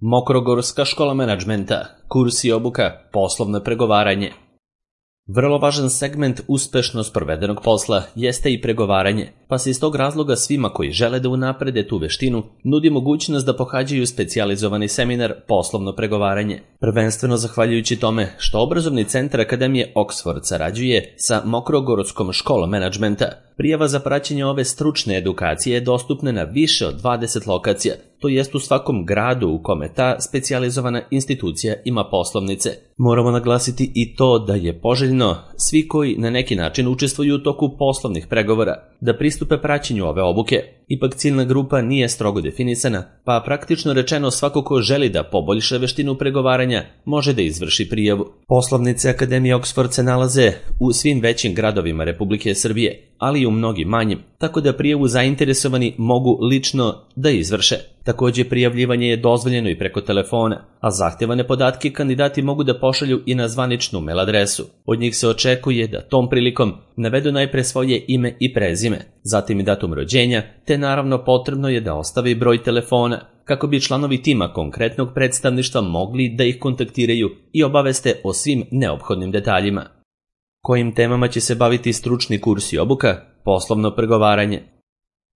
Mokrogorska škola menadžmenta, kurs i obuka, poslovno pregovaranje. Vrlo važan segment uspešno sprovedenog posla jeste i pregovaranje, pa se iz tog razloga svima koji žele da unaprede tu veštinu nudi mogućnost da pohađaju specijalizovani seminar poslovno pregovaranje. Prvenstveno zahvaljujući tome što obrazovni centar Akademije Oxford sarađuje sa Mokrogorskom školom menadžmenta, prijava za praćenje ove stručne edukacije je dostupna na više od 20 lokacija, to jest u svakom gradu u kome ta specijalizovana institucija ima poslovnice. Moramo naglasiti i to da je poželjno svi koji na neki način učestvuju u toku poslovnih pregovora da pristupe praćenju ove obuke. Ipak ciljna grupa nije strogo definisana, pa praktično rečeno svako ko želi da poboljša veštinu pregovaranja može da izvrši prijavu. Poslovnice Akademije Oxford se nalaze u svim većim gradovima Republike Srbije, ali i u mnogim manjim, tako da prijavu zainteresovani mogu lično da izvrše. Također prijavljivanje je dozvoljeno i preko telefona, a zahtevane podatke kandidati mogu da pošalju i na zvaničnu mail adresu. Od njih se očekuje da tom prilikom navedu najpre svoje ime i prezime, zatim i datum rođenja, te naravno potrebno je da ostave i broj telefona, kako bi članovi tima konkretnog predstavništva mogli da ih kontaktiraju i obaveste o svim neophodnim detaljima. Kojim temama će se baviti stručni kurs i obuka? Poslovno pregovaranje.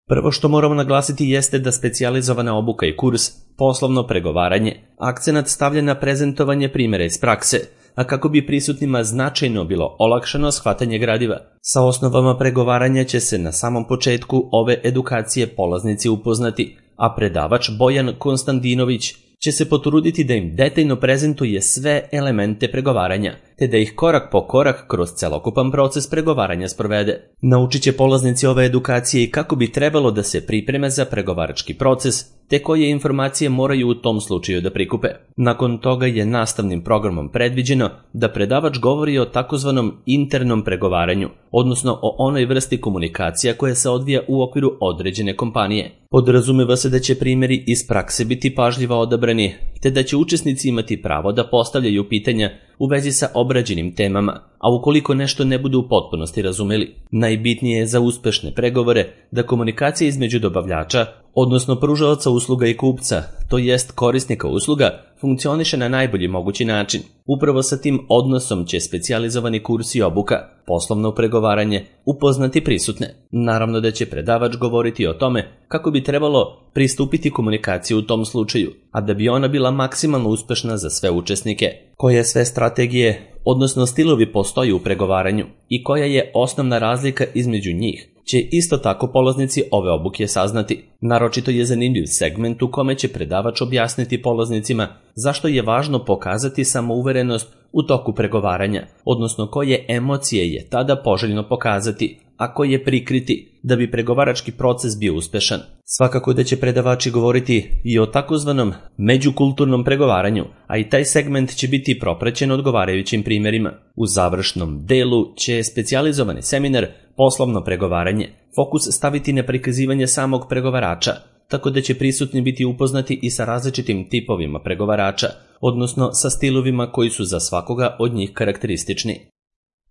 Prvo što moramo naglasiti jeste da specijalizovana obuka i kurs, poslovno pregovaranje, akcenat stavlja na prezentovanje primjera iz prakse, a kako bi prisutnima značajno bilo olakšano shvatanje gradiva. Sa osnovama pregovaranja će se na samom početku ove edukacije polaznici upoznati, a predavač Bojan Konstantinović će se potruditi da im detaljno prezentuje sve elemente pregovaranja, te da ih korak po korak kroz celokupan proces pregovaranja sprovede. Naučit će polaznici ove edukacije i kako bi trebalo da se pripreme za pregovarački proces, te koje informacije moraju u tom slučaju da prikupe. Nakon toga je nastavnim programom predviđeno da predavač govori o takozvanom internom pregovaranju, odnosno o onoj vrsti komunikacija koja se odvija u okviru određene kompanije. Podrazumeva se da će primjeri iz prakse biti pažljivo odabrani, te da će učesnici imati pravo da postavljaju pitanja u vezi sa obrađenim temama, a ukoliko nešto ne budu u potpunosti razumeli. Najbitnije je za uspešne pregovore da komunikacija između dobavljača, odnosno pružaoca usluga i kupca, to jest korisnika usluga, funkcioniše na najbolji mogući način. Upravo sa tim odnosom će specijalizovani kurs i obuka, poslovno pregovaranje, upoznati prisutne. Naravno da će predavač govoriti o tome kako bi trebalo pristupiti komunikaciji u tom slučaju, a da bi ona bila maksimalno uspešna za sve učesnike. Koje sve strategije, odnosno stilovi postoji u pregovaranju i koja je osnovna razlika između njih, će isto tako polaznici ove obuke saznati. Naročito je zanimljiv segment u kome će predavač objasniti polaznicima zašto je važno pokazati samouverenost u toku pregovaranja, odnosno koje emocije je tada poželjno pokazati, a koje prikriti da bi pregovarački proces bio uspešan. Svakako da će predavači govoriti i o takozvanom međukulturnom pregovaranju, a i taj segment će biti propraćen odgovarajućim primjerima. U završnom delu će specijalizovani seminar poslovno pregovaranje fokus staviti na prikazivanje samog pregovarača, tako da će prisutni biti upoznati i sa različitim tipovima pregovarača, odnosno sa stilovima koji su za svakoga od njih karakteristični.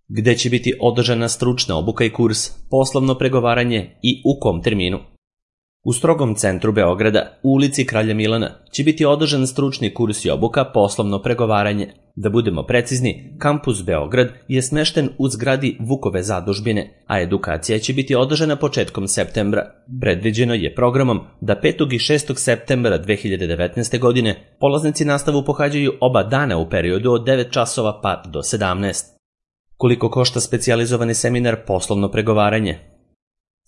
Gde će biti održana stručna obuka i kurs, poslovno pregovaranje i u kom terminu? U strogom centru Beograda, u ulici Kralja Milana, će biti održan stručni kurs i obuka poslovno pregovaranje. Da budemo precizni, kampus Beograd je smešten u zgradi Vukove zadužbine, a edukacija će biti održana početkom septembra. Predviđeno je programom da 5. i 6. septembra 2019. godine polaznici nastavu pohađaju oba dana u periodu od 9 časova pa do 17. Koliko košta specijalizovani seminar poslovno pregovaranje?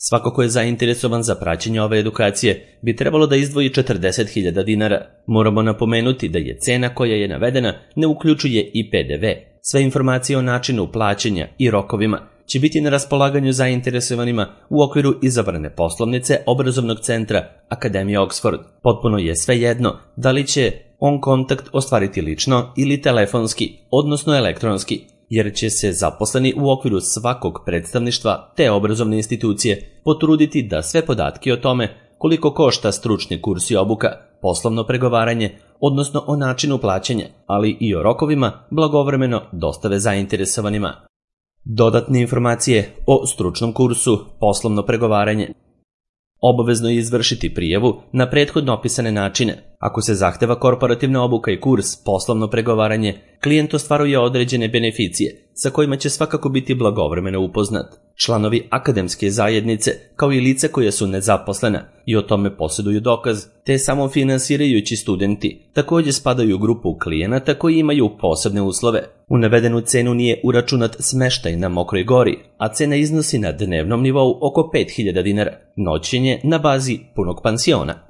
Svako ko je zainteresovan za praćenje ove edukacije bi trebalo da izdvoji 40.000 dinara. Moramo napomenuti da je cena koja je navedena ne uključuje i PDV. Sve informacije o načinu plaćanja i rokovima će biti na raspolaganju zainteresovanima u okviru izabrane poslovnice obrazovnog centra Akademije Oxford. Potpuno je svejedno da li će on kontakt ostvariti lično ili telefonski, odnosno elektronski, jer će se zaposleni u okviru svakog predstavništva te obrazovne institucije potruditi da sve podatke o tome koliko košta stručni kurs i obuka, poslovno pregovaranje, odnosno o načinu plaćanja, ali i o rokovima, blagovremeno dostave zainteresovanima. Dodatne informacije o stručnom kursu, poslovno pregovaranje. Obavezno je izvršiti prijavu na prethodno opisane načine, Ako se zahteva korporativna obuka i kurs, poslovno pregovaranje, klijent ostvaruje određene beneficije, sa kojima će svakako biti blagovremeno upoznat. Članovi akademske zajednice, kao i lice koje su nezaposlena i o tome posjeduju dokaz, te samofinansirajući studenti, također spadaju u grupu klijenata koji imaju posebne uslove. U navedenu cenu nije uračunat smeštaj na Mokroj Gori, a cena iznosi na dnevnom nivou oko 5000 dinara, noćenje na bazi punog pansiona.